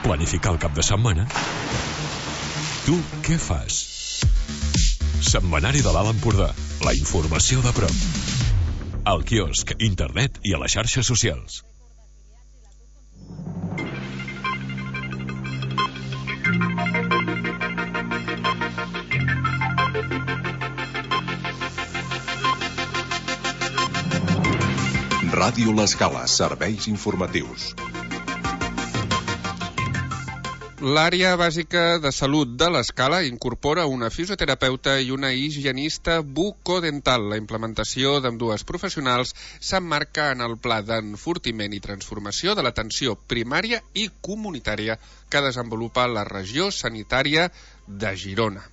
Planificar el cap de setmana. Tu què fas? Setmanari de l'Alt Empordà. La informació de prop. Al quiosc, internet i a les xarxes socials. Ràdio L'Escala, serveis informatius. L'àrea bàsica de salut de l'Escala incorpora una fisioterapeuta i una higienista bucodental. La implementació d'ambdues professionals s'emmarca en el pla d'enfortiment i transformació de l'atenció primària i comunitària que desenvolupa la regió sanitària de Girona.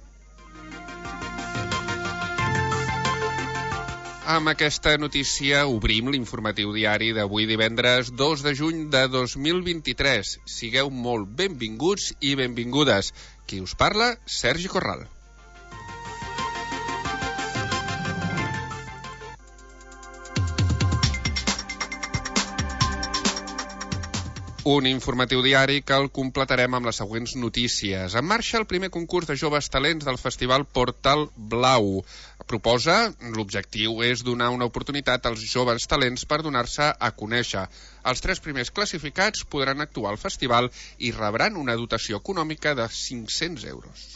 Amb aquesta notícia obrim l'informatiu diari d'avui divendres 2 de juny de 2023. Sigueu molt benvinguts i benvingudes. Qui us parla? Sergi Corral. Un informatiu diari que el completarem amb les següents notícies. En marxa el primer concurs de joves talents del Festival Portal Blau. L'objectiu és donar una oportunitat als joves talents per donar-se a conèixer. Els 3 primers classificats podran actuar al festival i rebran una dotació econòmica de 500 euros.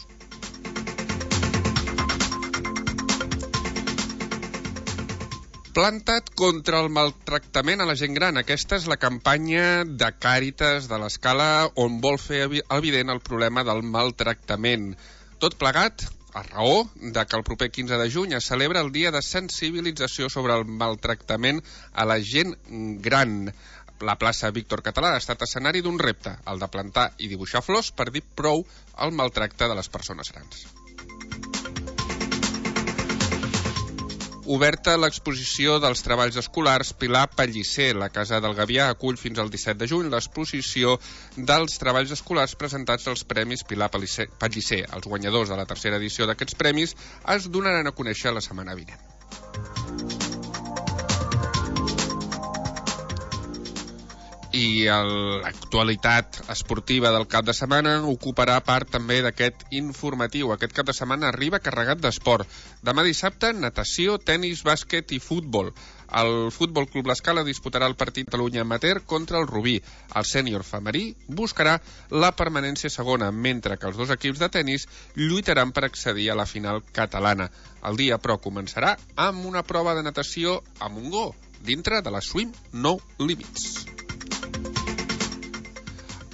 Planta't contra el maltractament a la gent gran. Aquesta és la campanya de Càritas de l'Escala, on vol fer evident el problema del maltractament. Tot plegat a raó de que el proper 15 de juny es celebra el dia de sensibilització sobre el maltractament a la gent gran. La plaça Víctor Català ha estat escenari d'un repte, el de plantar i dibuixar flors per dir prou al maltracte de les persones grans. Oberta l'exposició dels treballs escolars Pilar Pellicer. La Casa del Gavià acull fins al 17 de juny l'exposició dels treballs escolars presentats als Premis Pilar Pellicer. Els guanyadors de la 3a edició d'aquests premis es donaran a conèixer la setmana vinent. I l'actualitat esportiva del cap de setmana ocuparà part també d'aquest informatiu. Aquest cap de setmana arriba carregat d'esport. Demà dissabte, natació, tenis, bàsquet i futbol. El Futbol Club L'Escala disputarà el partit Catalunya Amateur contra el Rubí. El sènior femení buscarà la permanència segona, mentre que els 2 equips de tenis lluitaran per accedir a la final catalana. El dia, però, començarà amb una prova de natació a Montgó, dintre de la Swim No Limits.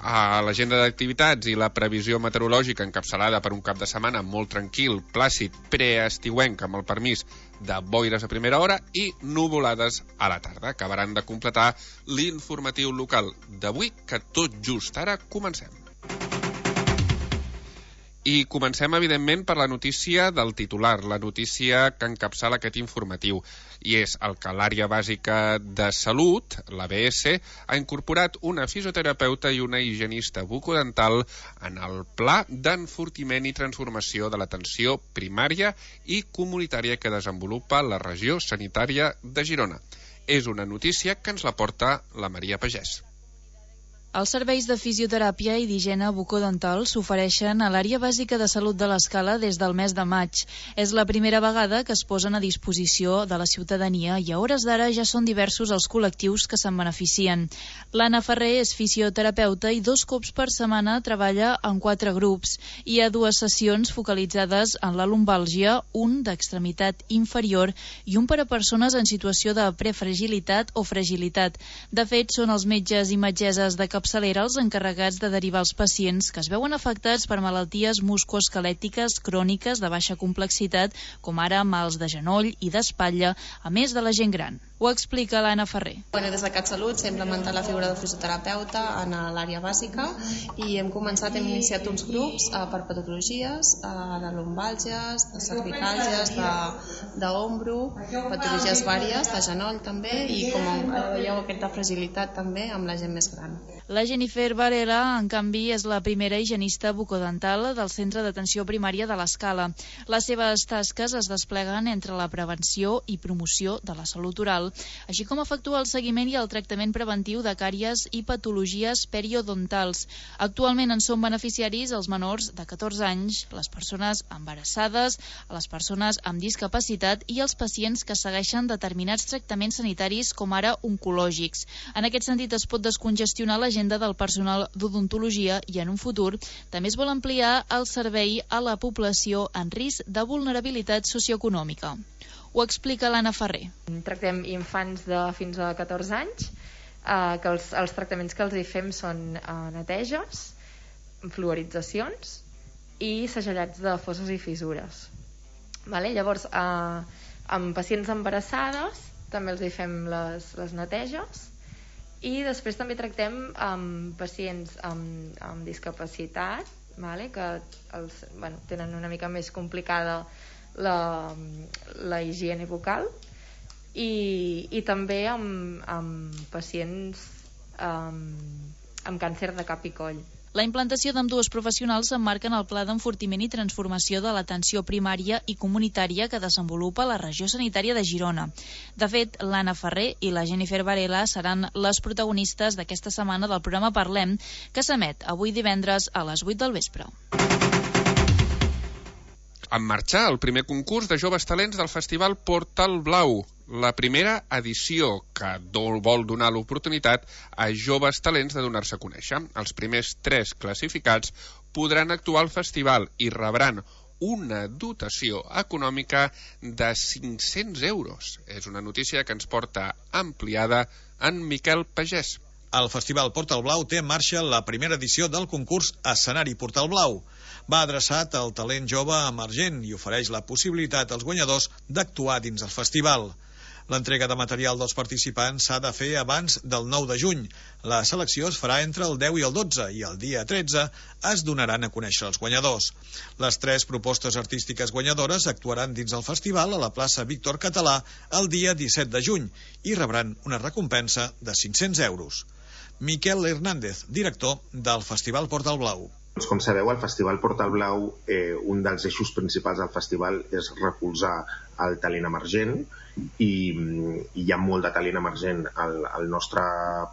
A l'agenda d'activitats i la previsió meteorològica encapçalada per un cap de setmana molt tranquil, plàcid, preestiuenc amb el permís de boires a primera hora i nuvolades a la tarda. Acabaran de completar l'informatiu local d'avui, que tot just ara comencem. I comencem, evidentment, per la notícia del titular, la notícia que encapçala aquest informatiu. I és el que l'àrea bàsica de salut, l'ABS, ha incorporat una fisioterapeuta i una higienista bucodental en el pla d'enfortiment i transformació de l'atenció primària i comunitària que desenvolupa la regió sanitària de Girona. És una notícia que ens la porta la Maria Pagès. Els serveis de fisioteràpia i d'higiene bucodental s'ofereixen a l'àrea bàsica de salut de l'Escala des del mes de maig. És la primera vegada que es posen a disposició de la ciutadania i a hores d'ara ja són diversos els col·lectius que se'n beneficien. L'Anna Ferrer és fisioterapeuta i 2 cops per setmana treballa en 4 grups. Hi ha 2 sessions focalitzades en la lumbàlgia, un d'extremitat inferior i un per a persones en situació de prefragilitat o fragilitat. De fet, són els metges i metgesses de capçalera els encarregats de derivar els pacients que es veuen afectats per malalties musculoesquelètiques cròniques de baixa complexitat, com ara mals de genoll i d'espatlla, a més de la gent gran. Ho explica l'Anna Ferrer. Des de CatSalut s'ha implementat la figura del fisioterapeuta en l'àrea bàsica i hem iniciat uns grups per patologies de lumbàlgies, de cervicàlgies, d'ombro, patologies vàries, de genoll també, i com veieu aquesta fragilitat també amb la gent més gran. La Jennifer Varela, en canvi, és la primera higienista bucodental del Centre d'Atenció Primària de l'Escala. Les seves tasques es despleguen entre la prevenció i promoció de la salut oral, així com efectuar el seguiment i el tractament preventiu de càries i patologies periodontals. Actualment en són beneficiaris els menors de 14 anys, les persones embarassades, les persones amb discapacitat i els pacients que segueixen determinats tractaments sanitaris com ara oncològics. En aquest sentit es pot descongestionar l'agenda del personal d'odontologia i en un futur també es vol ampliar el servei a la població en risc de vulnerabilitat socioeconòmica. Ho explica l'Anna Ferrer. Tractem infants de fins a 14 anys, que els tractaments que els hi fem són neteges, fluoritzacions i segellats de fosses i fissures. Llavors, amb pacients embarassades també els hi fem les neteges, i després també tractem amb pacients amb discapacitat, que tenen una mica més complicada la higiene bucal, i també amb pacients amb càncer de cap i coll. La implantació d'ambdues professionals s'emmarca en el Pla d'Enfortiment i Transformació de l'Atenció Primària i Comunitària que desenvolupa la Regió Sanitària de Girona. De fet, l'Anna Ferrer i la Jennifer Varela seran les protagonistes d'aquesta setmana del programa Parlem, que s'emet avui divendres a les 8 del vespre. En marxa el primer concurs de joves talents del Festival Portal Blau, la primera edició que vol donar l'oportunitat a joves talents de donar-se a conèixer. Els primers 3 classificats podran actuar al festival i rebran una dotació econòmica de 500 euros. És una notícia que ens porta ampliada en Miquel Pagès. El Festival Portal Blau té en marxa la primera edició del concurs Escenari Portal Blau. Va adreçat al talent jove emergent i ofereix la possibilitat als guanyadors d'actuar dins el festival. L'entrega de material dels participants s'ha de fer abans del 9 de juny. La selecció es farà entre el 10 i el 12 i el dia 13 es donaran a conèixer els guanyadors. Les 3 propostes artístiques guanyadores actuaran dins el festival a la plaça Víctor Català el dia 17 de juny i rebran una recompensa de 500 euros. Miquel Hernández, director del Festival Portal Blau. Com sabeu, al Festival Portal Blau, un dels eixos principals del festival és recolzar el talent emergent i hi ha molt de talent emergent al nostre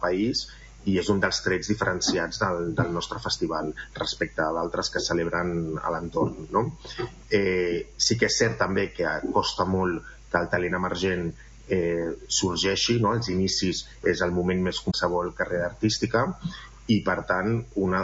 país i és un dels trets diferenciats del nostre festival respecte a d'altres que celebren a l'entorn, no? Sí que és cert també que costa molt que el talent emergent sorgeixi, no? Els inicis és el moment més qualsevol carrera artística i per tant una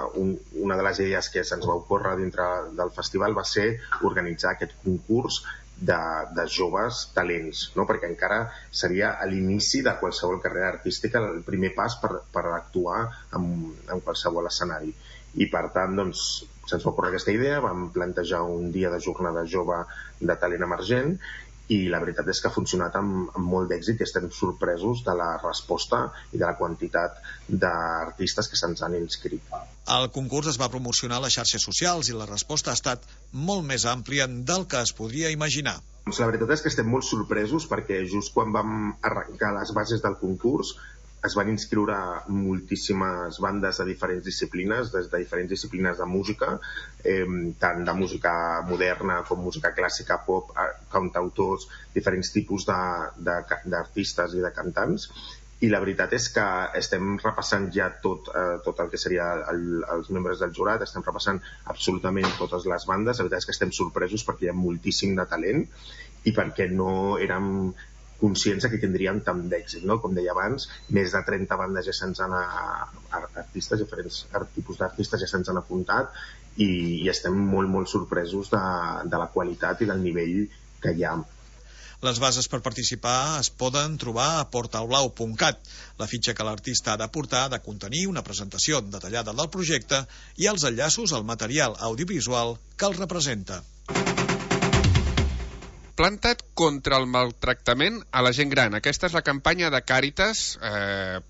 de les idees que se'ns va ocórrer dintre del festival va ser organitzar aquest concurs de joves talents, no? Perquè encara seria a l'inici de qualsevol carrera artística el primer pas per actuar en qualsevol escenari i per tant doncs, se'ns va ocórrer aquesta idea, vam plantejar un dia de jornada jove de talent emergent i la veritat és que ha funcionat amb molt d'èxit i estem sorpresos de la resposta i de la quantitat d'artistes que se'ns han inscrit. El concurs es va promocionar a les xarxes socials i la resposta ha estat molt més àmplia del que es podria imaginar. La veritat és que estem molt sorpresos perquè just quan vam arrencar les bases del concurs es van inscriure moltíssimes bandes de diferents disciplines, des de diferents disciplines de música, tant de música moderna com música clàssica, pop, cantautors, diferents tipus d'artistes i de cantants. I la veritat és que estem repassant ja tot el que seria els membres del jurat, estem repassant absolutament totes les bandes. La veritat és que estem sorpresos perquè hi ha moltíssim de talent i perquè no érem conscients que tindríem tant d'èxit, no? Com deia abans, més de 30 bandes ja se'ns han artistes, diferents tipus d'artistes ja se'ns han apuntat i estem molt, molt sorpresos de la qualitat i del nivell que hi ha. Les bases per participar es poden trobar a portalblau.cat. La fitxa que l'artista ha de portar ha de contenir una presentació detallada del projecte i els enllaços al material audiovisual que el representa. Planta't contra el maltractament a la gent gran. Aquesta és la campanya de Càritas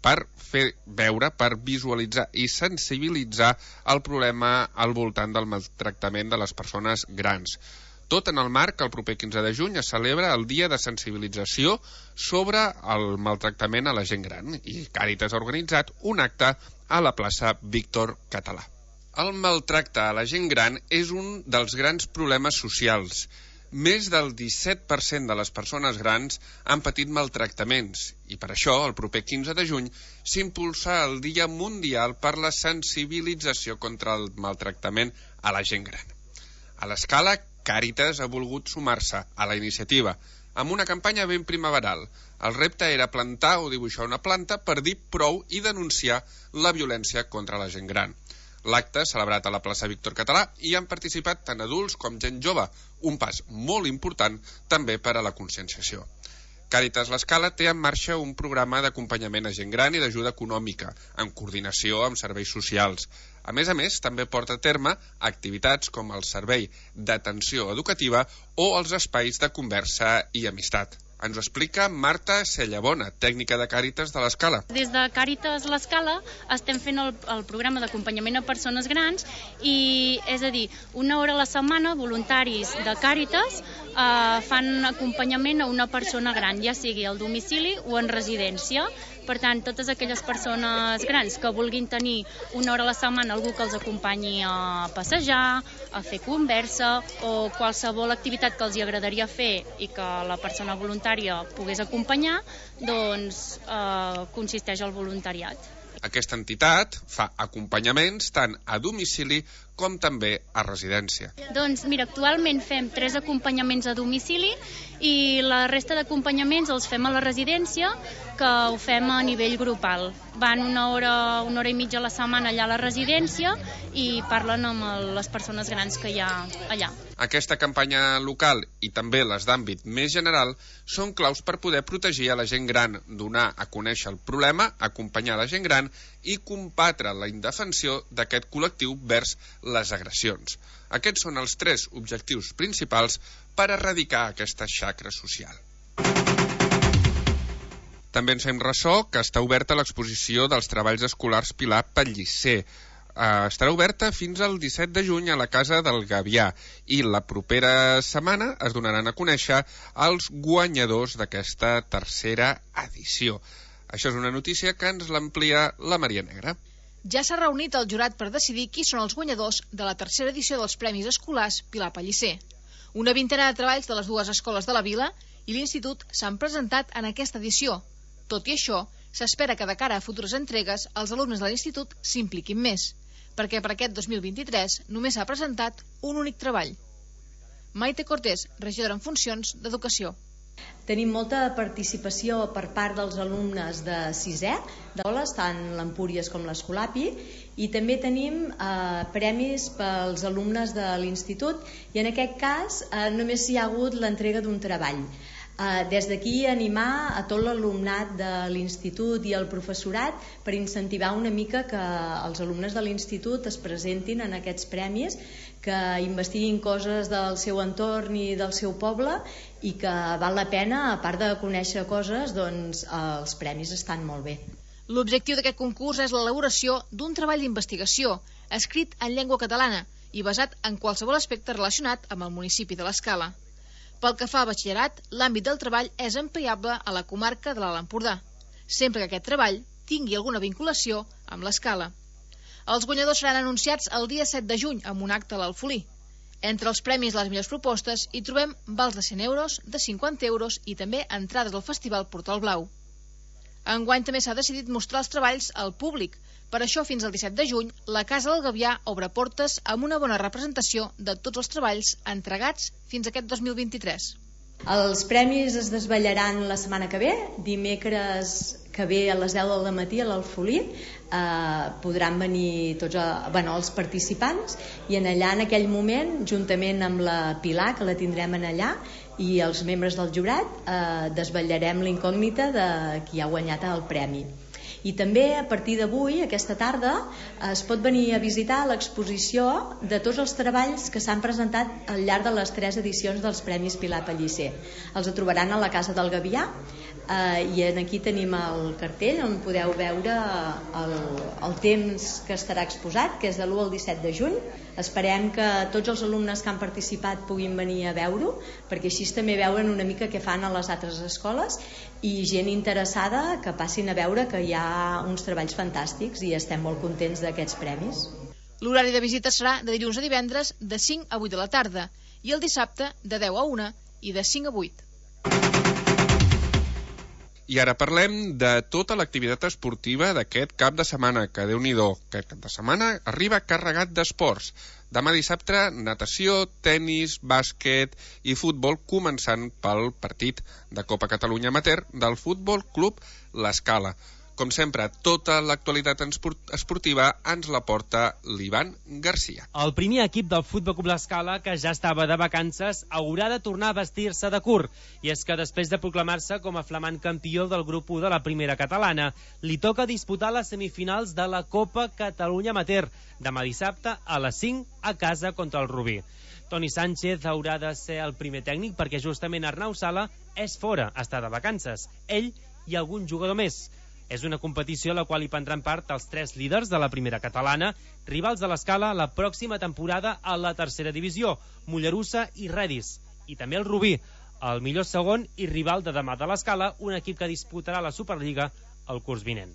per fer veure, per visualitzar i sensibilitzar el problema al voltant del maltractament de les persones grans. Tot en el marc que el proper 15 de juny es celebra el Dia de Sensibilització sobre el maltractament a la gent gran i Càritas ha organitzat un acte a la plaça Víctor Català. El maltracte a la gent gran és un dels grans problemes socials. Més del 17% de les persones grans han patit maltractaments i per això el proper 15 de juny s'impulsa el Dia Mundial per la Sensibilització contra el Maltractament a la gent gran. A l'Escala, Càritas ha volgut sumar-se a la iniciativa amb una campanya ben primaveral. El repte era plantar o dibuixar una planta per dir prou i denunciar la violència contra la gent gran. L'acte, celebrat a la plaça Víctor Català, hi han participat tant adults com gent jove, un pas molt important també per a la conscienciació. Càritas l'Escala té en marxa un programa d'acompanyament a gent gran i d'ajuda econòmica, en coordinació amb serveis socials. A més, també porta a terme activitats com el servei d'atenció educativa o els espais de conversa i amistat. Ens ho explica Marta Cellabona, tècnica de Càritas de l'Escala. Des de Càritas l'Escala estem fent el programa d'acompanyament a persones grans i, és a dir, 1 hora a la setmana voluntaris de Càritas fan acompanyament a una persona gran, ja sigui al domicili o en residència. Per tant, totes aquelles persones grans que vulguin tenir 1 hora a la setmana algú que els acompanyi a passejar, a fer conversa o qualsevol activitat que els agradaria fer i que la persona voluntària pogués acompanyar, doncs consisteix al voluntariat. Aquesta entitat fa acompanyaments tant a domicili com també a residència. Doncs mira, actualment fem 3 acompanyaments a domicili i la resta d'acompanyaments els fem a la residència, que ho fem a nivell grupal. Van 1 hora i mitja a la setmana allà a la residència i parlen amb les persones grans que hi ha allà. Aquesta campanya local i també les d'àmbit més general són claus per poder protegir a la gent gran, donar a conèixer el problema, acompanyar la gent gran i combatre la indefensió d'aquest col·lectiu vers les agressions. Aquests són els 3 objectius principals per erradicar aquesta xacra social. També ens fem ressò que està oberta l'exposició dels treballs escolars Pilar Pellicer. Estarà oberta fins al 17 de juny a la Casa del Gavià i la propera setmana es donaran a conèixer els guanyadors d'aquesta tercera edició. Això és una notícia que ens l'amplia la Maria Negra. Ja s'ha reunit el jurat per decidir qui són els guanyadors de la tercera edició dels Premis Escolars Pilar Pellicer. Una vintena de treballs de les 2 escoles de la vila i l'Institut s'han presentat en aquesta edició. Tot i això, s'espera que de cara a futures entregues els alumnes de l'Institut s'impliquin més, perquè per aquest 2023 només s'ha presentat un únic treball. Maite Cortés, regidora en funcions d'Educació. Tenim molta participació per part dels alumnes de 6è d'aules, tant l'Empúries com l'Escolapi, i també tenim premis pels alumnes de l'Institut, i en aquest cas només hi ha hagut l'entrega d'un treball. Des d'aquí animar a tot l'alumnat de l'Institut i el professorat per incentivar una mica que els alumnes de l'Institut es presentin en aquests premis, que investiguin coses del seu entorn i del seu poble i que val la pena, a part de conèixer coses, doncs els premis estan molt bé. L'objectiu d'aquest concurs és l'elaboració d'un treball d'investigació escrit en llengua catalana i basat en qualsevol aspecte relacionat amb el municipi de l'Escala. Pel que fa a batxillerat, l'àmbit del treball és ampliable a la comarca de l'Alt Empordà, sempre que aquest treball tingui alguna vinculació amb l'Escala. Els guanyadors seran anunciats el dia 7 de juny amb un acte a l'Alfolí. Entre els premis i les millors propostes hi trobem vals de 100 euros, de 50 euros i també entrades al Festival Portal Blau. Enguany també s'ha decidit mostrar els treballs al públic. Per això, fins al 17 de juny, la Casa del Gavià obre portes amb una bona representació de tots els treballs entregats fins a aquest 2023. Els premis es desvetllaran la setmana que ve, dimecres que ve a les 10 del matí a l'Alfolí. Podran venir tots els participants i en allà, en aquell moment, juntament amb la Pilar, que la tindrem en allà, i els membres del jurat, desvetllarem la incògnita de qui ha guanyat el premi. I també a partir d'avui, aquesta tarda, es pot venir a visitar l'exposició de tots els treballs que s'han presentat al llarg de les 3 edicions dels Premis Pilar Pellicer. Els trobaran a la Casa del Gavià i aquí tenim el cartell on podeu veure el temps que estarà exposat, que és de l'1 al 17 de juny. Esperem que tots els alumnes que han participat puguin venir a veure-ho, perquè així també veuen una mica què fan a les altres escoles, i gent interessada que passin a veure que hi ha uns treballs fantàstics i estem molt contents d'aquests premis. L'horari de visita serà de dilluns a divendres de 5 a 8 de la tarda i el dissabte de 10 a 1 i de 5 a 8. I ara parlem de tota l'activitat esportiva d'aquest cap de setmana, que Déu-n'hi-do, aquest cap de setmana arriba carregat d'esports. Demà dissabte, natació, tennis, bàsquet i futbol, començant pel partit de Copa Catalunya Amateur del Futbol Club L'Escala. Com sempre, tota l'actualitat esportiva ens la porta l'Ivan Garcia. El primer equip del Futbol Club L'Escala, que ja estava de vacances, haurà de tornar a vestir-se de curt. I és que després de proclamar-se com a flamant campió del grup 1 de la primera catalana, li toca disputar les semifinals de la Copa Catalunya Amateur, demà dissabte a les 5 a casa contra el Rubí. Toni Sánchez haurà de ser el primer tècnic perquè justament Arnau Sala és fora, està de vacances. Ell i algun jugador més. És una competició a la qual hi prendran part els 3 líders de la primera catalana, rivals de l'Escala la pròxima temporada a la tercera divisió, Mollerussa i Redis. I també el Rubí, el millor segon i rival de demà de l'Escala, un equip que disputarà la Superliga el curs vinent.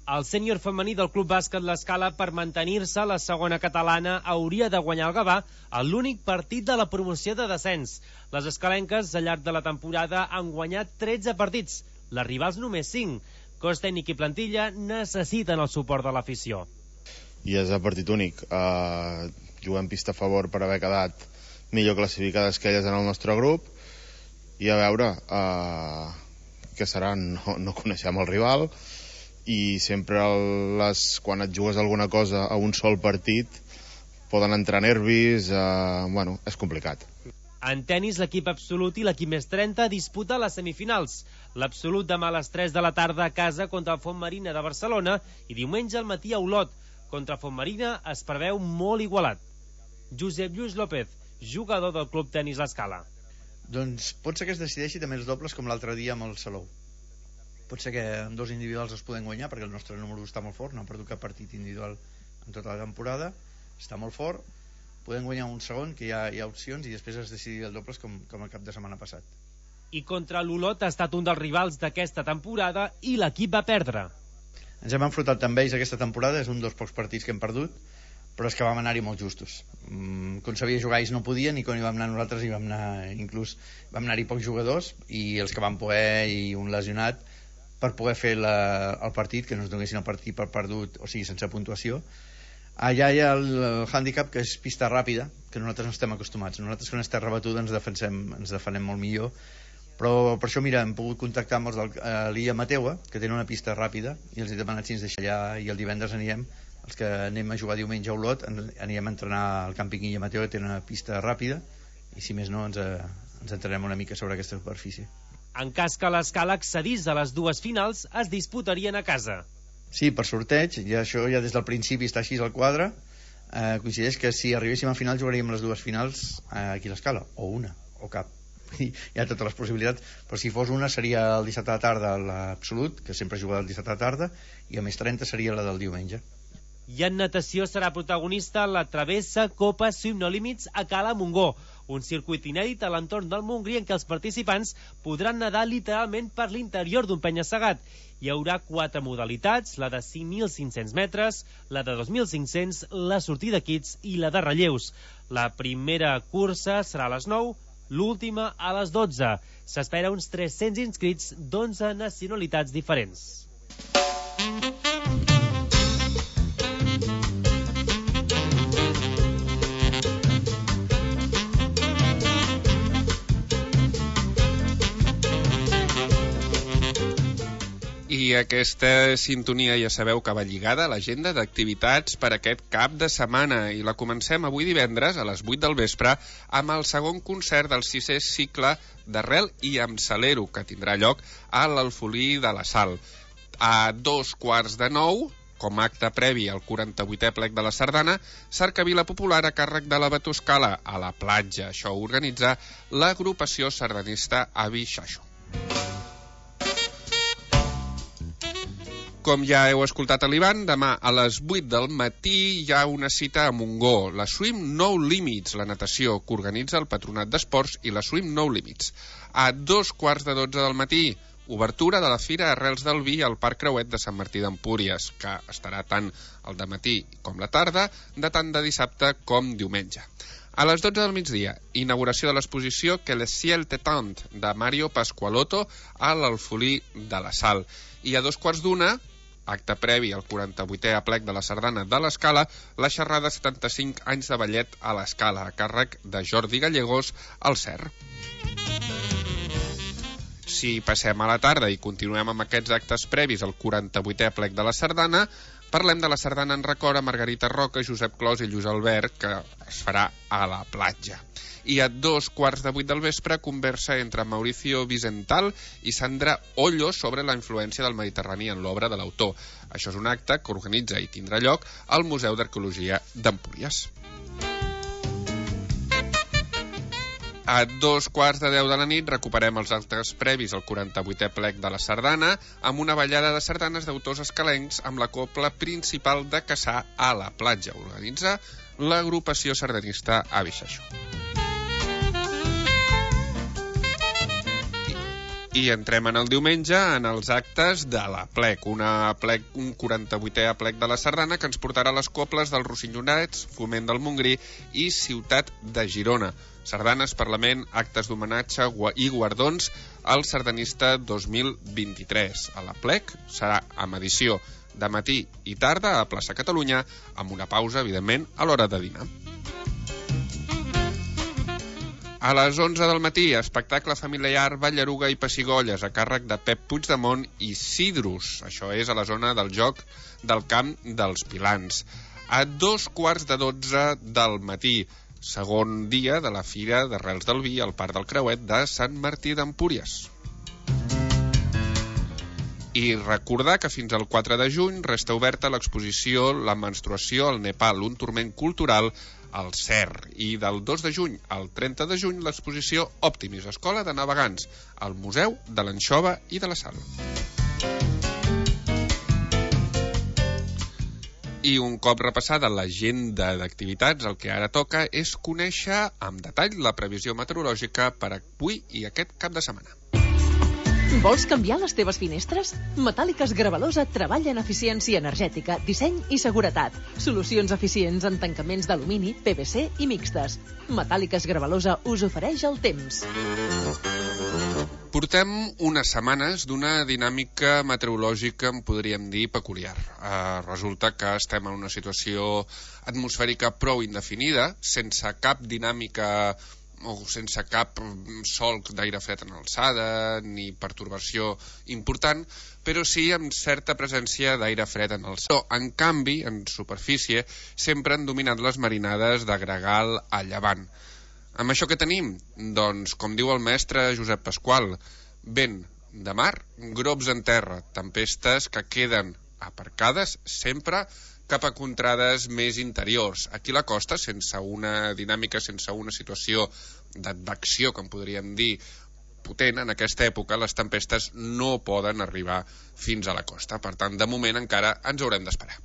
El sènior femení del Club Bàsquet L'Escala, per mantenir-se a la segona catalana, hauria de guanyar el Gavà a l'únic partit de la promoció de descens. Les escalenques, al llarg de la temporada, han guanyat 13 partits, les rivals només 5. Cos tècnic i plantilla necessiten el suport de l'afició. I és el partit únic. Juguem pista a favor per haver quedat millor classificades que elles en el nostre grup i a veure què serà. No coneixem el rival i sempre quan et jugues alguna cosa a un sol partit poden entrar nervis, és complicat. En tennis, l'equip absolut i l'equip més 30 disputa les semifinals. L'absolut demà a les 3 de la tarda a casa contra el Fontmarina de Barcelona i diumenge al matí a Olot. Contra Fontmarina es preveu molt igualat. Josep Lluís López, jugador del Club Tenis L'Escala. Doncs pot ser que es decideixi també els dobles com l'altre dia amb el Salou. Pot ser que amb 2 individuals es poden guanyar perquè el nostre número està molt fort, no ha perdut cap partit individual en tota la temporada, està molt fort. Podem guanyar un segon, que hi ha opcions, i després es decidir el dobles com el cap de setmana passat. I contra l'Olot ha estat un dels rivals d'aquesta temporada i l'equip va perdre. Ens hem enfrontat amb ells aquesta temporada, és un dels pocs partits que hem perdut, però és que vam anar-hi molt justos. Com sabia jugar ells no podien, i quan hi vam anar nosaltres vam anar-hi pocs jugadors, i els que van poder i un lesionat, per poder fer el partit, que no ens donessin el partit per perdut, o sigui, sense puntuació. Allà hi ha el hàndicap, que és pista ràpida, que nosaltres no estem acostumats. Nosaltres quan és terra batuda ens defenem molt millor, però per això mira, hem pogut contactar amb els de l'Illa Mateua, que tenen una pista ràpida, i els he demanat si ens deixa allà, i el divendres anirem, els que anem a jugar diumenge a Olot, anirem a entrenar al càmping Illa Mateua, que té una pista ràpida, i si més no ens entrenarem una mica sobre aquesta superfície. En cas que l'Escala accedís a les 2 finals, es disputarien a casa. Sí, per sorteig, i això ja des del principi està així al quadre. Coincideix que si arribéssim a final jugaríem les 2 finals aquí a l'Escala, o una, o cap. Hi ha totes les possibilitats, però si fos una seria el dissabte a la tarda l'absolut, que sempre juga el dissabte a la tarda, i a més 30 seria la del diumenge. I en natació serà protagonista la travessa Copa Swim No Limits a Cala Montgó, un circuit inèdit a l'entorn del Montgrí en què els participants podran nedar literalment per l'interior d'un penya-segat. Hi haurà 4 modalitats, la de 5.500 metres, la de 2.500, la sortida kits i la de relleus. La primera cursa serà a les 9, l'última a les 12. S'espera uns 300 inscrits d'11 nacionalitats diferents. I aquesta sintonia ja sabeu que va lligada a l'agenda d'activitats per aquest cap de setmana i la comencem avui divendres a les 8 del vespre amb el segon concert del 6è cicle d'Arrel i amb Salero, que tindrà lloc a l'Alfolí de la Sal. A 8:45, com a acte previ al 48è plec de la Sardana, cercavila popular a càrrec de la Batuscala a la platja. Això ho organitza l'agrupació sardanista Avi Xaixo. com ja heu escoltat a l'Ivan, demà a les 8 del matí hi ha una cita a Montgó, la Swim No Limits, la natació que organitza el Patronat d'Esports i la Swim No Limits. A 2:15 del matí, obertura de la Fira Arrels del Vi al Parc Creuet de Sant Martí d'Empúries, que estarà tant al dematí com la tarda, de tant de dissabte com diumenge. A les 12 del migdia, inauguració de l'exposició Que le ciel t'étend, de Mario Pasqualotto a l'Alfolí de la Sal. I a 2:15, acte previ al 48è aplec de la Sardana de l'Escala, la xerrada 75 anys de ballet a l'Escala, a càrrec de Jordi Gallegos al CER. Si passem a la tarda i continuem amb aquests actes previs al 48è aplec de la Sardana, parlem de la sardana en record a Margarita Roca, Josep Clos i Lluís Albert, que es farà a la platja. I a 7:15 del vespre, conversa entre Mauricio Vicental i Sandra Ollo sobre la influència del Mediterrani en l'obra de l'autor. Això és un acte que organitza i tindrà lloc al Museu d'Arqueologia d'Empúries. A 2:15 de la nit recuperem els actes previs al 48è plec de la Sardana amb una ballada de sardanes d'autors escalencs amb la cobla principal de Cassà a la platja. Organitza l'agrupació sardanista Abixaixo. I entrem en el diumenge en els actes de la plec, un 48è plec de la Sardana que ens portarà les coples dels Rossinyonets, Foment del Montgrí i Ciutat de Girona. Sardanes, Parlament, actes d'homenatge i guardons al sardanista 2023. A la plec serà amb edició de matí i tarda a Plaça Catalunya, amb una pausa, evidentment, a l'hora de dinar. A les 11 del matí, espectacle familiar Ballaruga i Pessigolles, a càrrec de Pep Puigdemont i Sidrus. Això és a la zona del joc del Camp dels Pilans. A 2:15 del matí, segon dia de la Fira d'Arrels del Vi al Parc del Creuet de Sant Martí d'Empúries. I recordar que fins al 4 de juny resta oberta l'exposició La menstruació al Nepal, un turment cultural al CER. I del 2 de juny al 30 de juny l'exposició Optimis, Escola de Navegants, al Museu de l'Anxova i de la Sal. I un cop repassada l'agenda d'activitats, el que ara toca és conèixer amb detall la previsió meteorològica per avui i aquest cap de setmana. Vols canviar les teves finestres? Metàl·liques Gravalosa treballa en eficiència energètica, disseny i seguretat. Solucions eficients en tancaments d'alumini, PVC i mixtes. Metàl·liques Gravalosa us ofereix el temps. Portem unes setmanes d'una dinàmica meteorològica, en podríem dir, peculiar. Resulta que estem en una situació atmosfèrica prou indefinida, sense cap dinàmica o sense cap solc d'aire fred en alçada ni pertorbació important, però sí amb certa presència d'aire fred en alçada. En canvi, en superfície, sempre han dominat les marinades de gregal a llevant. Amb això què tenim? Doncs, com diu el mestre Josep Pasqual, vent de mar, grops en terra, tempestes que queden aparcades sempre cap a contrades més interiors. Aquí a la costa, sense una dinàmica, sense una situació d'advecció, que en podríem dir, potent, en aquesta època les tempestes no poden arribar fins a la costa. Per tant, de moment encara ens haurem d'esperar.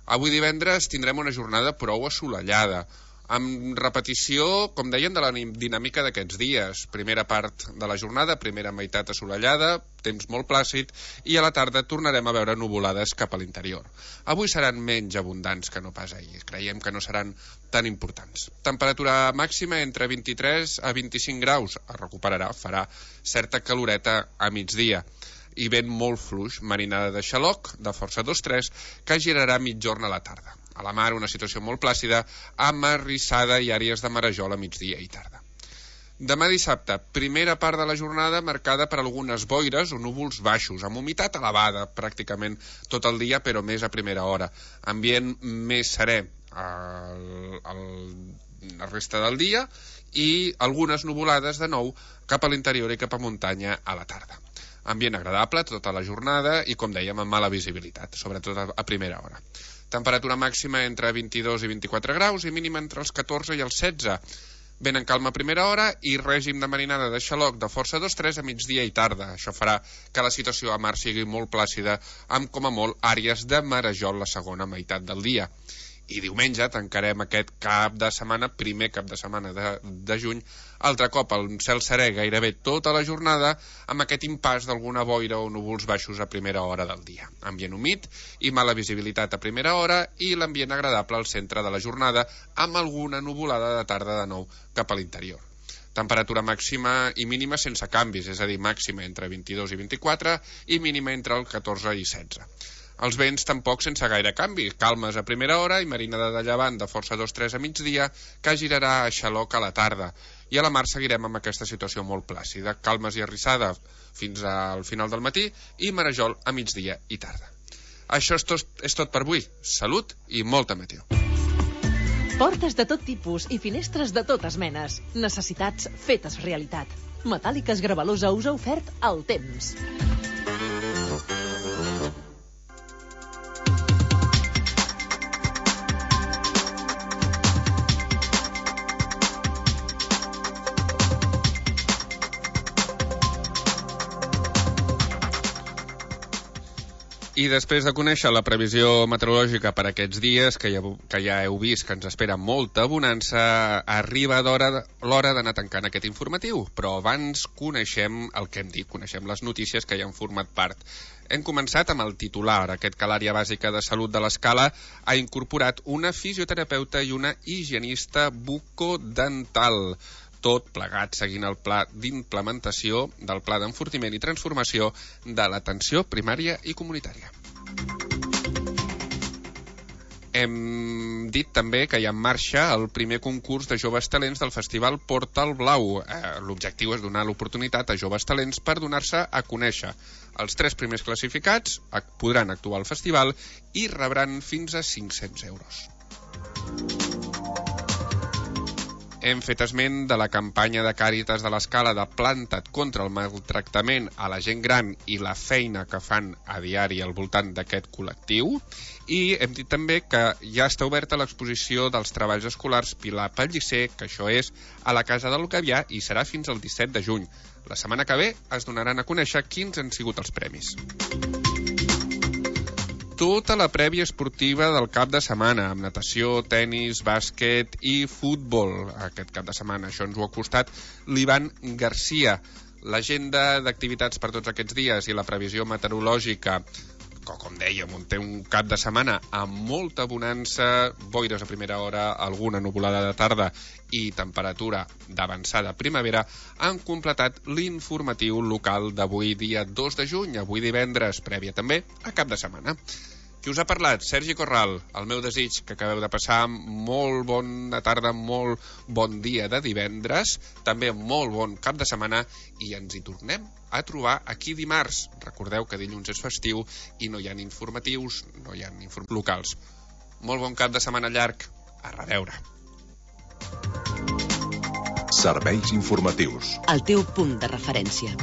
Avui divendres tindrem una jornada prou assolellada, amb repetició, com deien, de la dinàmica d'aquests dies. Primera part de la jornada, primera meitat assolellada, temps molt plàcid, i a la tarda tornarem a veure nuvolades cap a l'interior. Avui seran menys abundants que no pas ahir. Creiem que no seran tan importants. Temperatura màxima entre 23 a 25 graus. Es recuperarà, farà certa caloreta a migdia. I vent molt fluix, marinada de xaloc, de força 2-3, que girarà mitjorn a la tarda. A la mar, una situació molt plàcida, amb arrissada i àrees de marejol a migdia i tarda. Demà dissabte, primera part de la jornada marcada per algunes boires o núvols baixos, amb humitat elevada pràcticament tot el dia, però més a primera hora. Ambient més serè la resta del dia i algunes nuvolades de nou cap a l'interior i cap a muntanya a la tarda. Ambient agradable tota la jornada i, com dèiem, amb mala visibilitat, sobretot a primera hora. Temperatura màxima entre 22 i 24 graus i mínima entre els 14 i els 16. Vent en calma a primera hora i règim de marinada de xaloc de força 2-3 a migdia i tarda. Això farà que la situació a mar sigui molt plàcida, amb com a molt àrees de marejol la segona meitat del dia. I diumenge tancarem aquest cap de setmana, primer cap de setmana de juny, altre cop el cel serè gairebé tota la jornada, amb aquest impàs d'alguna boira o núvols baixos a primera hora del dia. Ambient humit i mala visibilitat a primera hora i l'ambient agradable al centre de la jornada, amb alguna nuvolada de tarda de nou cap a l'interior. Temperatura màxima i mínima sense canvis, és a dir, màxima entre 22 i 24 i mínima entre el 14 i 16. Els vents tampoc sense gaire canvi, calmes a primera hora i marinada de llevant de força 2-3 a migdia, que girarà a xaloc a la tarda. I a la mar seguirem amb aquesta situació molt plàcida, calmes i arrissada fins al final del matí i marejol a migdia i tarda. Això és tot per avui. Salut i molta meteo. Portes de tot tipus i finestres de totes menes. Necessitats fetes realitat. Metàl·liques Gravalosa us ha ofert el temps. I després de conèixer la previsió meteorològica per aquests dies, que ja heu vist que ens espera molta bonança, arriba l'hora d'anar tancant aquest informatiu. Però abans coneixem el que hem dit, coneixem les notícies que ja han format part. Hem començat amb el titular, aquest que l'àrea bàsica de salut de l'Escala ha incorporat una fisioterapeuta i una higienista bucodental. Tot plegat seguint el pla d'implementació del pla d'enfortiment i transformació de l'atenció primària i comunitària. Hem dit també que hi ha en marxa el primer concurs de joves talents del Festival Portal Blau. L'objectiu és donar l'oportunitat a joves talents per donar-se a conèixer. Els 3 primers classificats podran actuar al festival i rebran fins a 500 euros. Hem fet esment de la campanya de Càritas de l'Escala de Planta't contra el maltractament a la gent gran i la feina que fan a diari al voltant d'aquest col·lectiu. I hem dit també que ja està oberta l'exposició dels treballs escolars Pilar Pellicer, que això és a la Casa del Gavià i serà fins al 17 de juny. La setmana que ve es donaran a conèixer quins han sigut els premis. Tota la prèvia esportiva del cap de setmana, amb natació, tenis, bàsquet i futbol. Aquest cap de setmana això ens ho ha costat l'Ivan Garcia. L'agenda d'activitats per tots aquests dies i la previsió meteorològica, que com dèiem, té un cap de setmana amb molta bonança, boires a primera hora, alguna nuvolada de tarda i temperatura d'avançada primavera, han completat l'informatiu local d'avui dia 2 de juny, avui divendres, prèvia també a cap de setmana. Qui us ha parlat? Sergi Corral. El meu desig que acabeu de passar molt bona tarda, molt bon dia de divendres, també molt bon cap de setmana i ens hi tornem a trobar aquí dimarts. Recordeu que dilluns és festiu i no hi ha informatius, no hi ha locals. Molt bon cap de setmana llarg. A reveure. Serveis informatius. El teu punt de referència.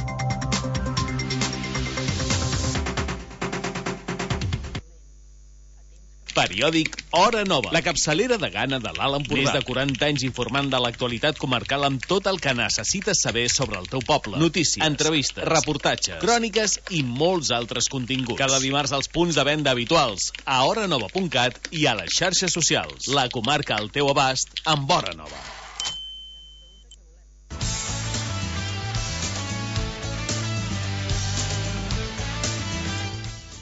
Periòdic Hora Nova, la capçalera de gana de l'Alt Empordà. Més de 40 anys informant de l'actualitat comarcal amb tot el que necessites saber sobre el teu poble. Notícies, entrevistes, reportatges, cròniques i molts altres continguts. Cada dimarts als punts de venda habituals, a horanova.cat i a les xarxes socials. La comarca al teu abast amb Hora Nova.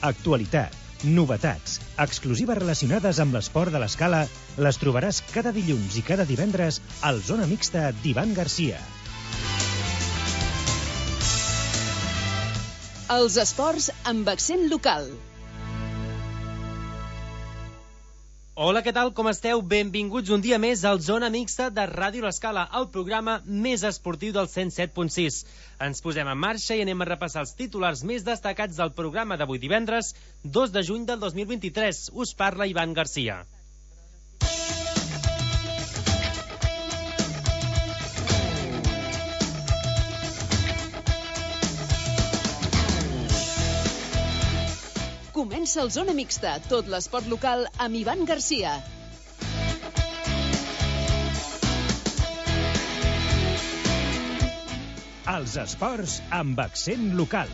Actualitat, novetats, exclusives relacionades amb l'esport de l'Escala, les trobaràs cada dilluns i cada divendres al Zona Mixta d'Ivan Garcia. Els esports amb accent local. Hola, què tal? Com esteu? Benvinguts un dia més al Zona Mixta de Ràdio L'Escala, el programa més esportiu del 107.6. Ens posem en marxa i anem a repassar els titulars més destacats del programa d'avui divendres, 2 de juny del 2023. Us parla Ivan Garcia. Comença el Zona Mixta, tot l'esport local amb Ivan Garcia. Els esports amb accent local.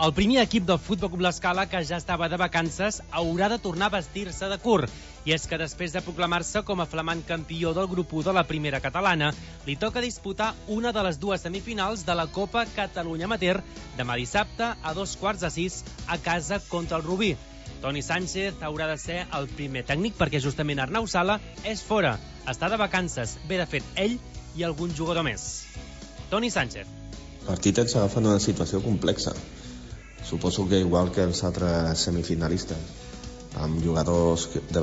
El primer equip del Futbol Club L'Escala, que ja estava de vacances, haurà de tornar a vestir-se de curt. I és que després de proclamar-se com a flamant campió del grup 1 de la primera catalana, li toca disputar una de les dues semifinals de la Copa Catalunya Amateur demà dissabte a 5:45 a casa contra el Rubí. Toni Sánchez haurà de ser el primer tècnic perquè justament Arnau Sala és fora, està de vacances, ve de fet ell i algun jugador més. Toni Sánchez. El partit ens agafa en una situació complexa. Suposo que igual que els altres semifinalistes, amb jugadors de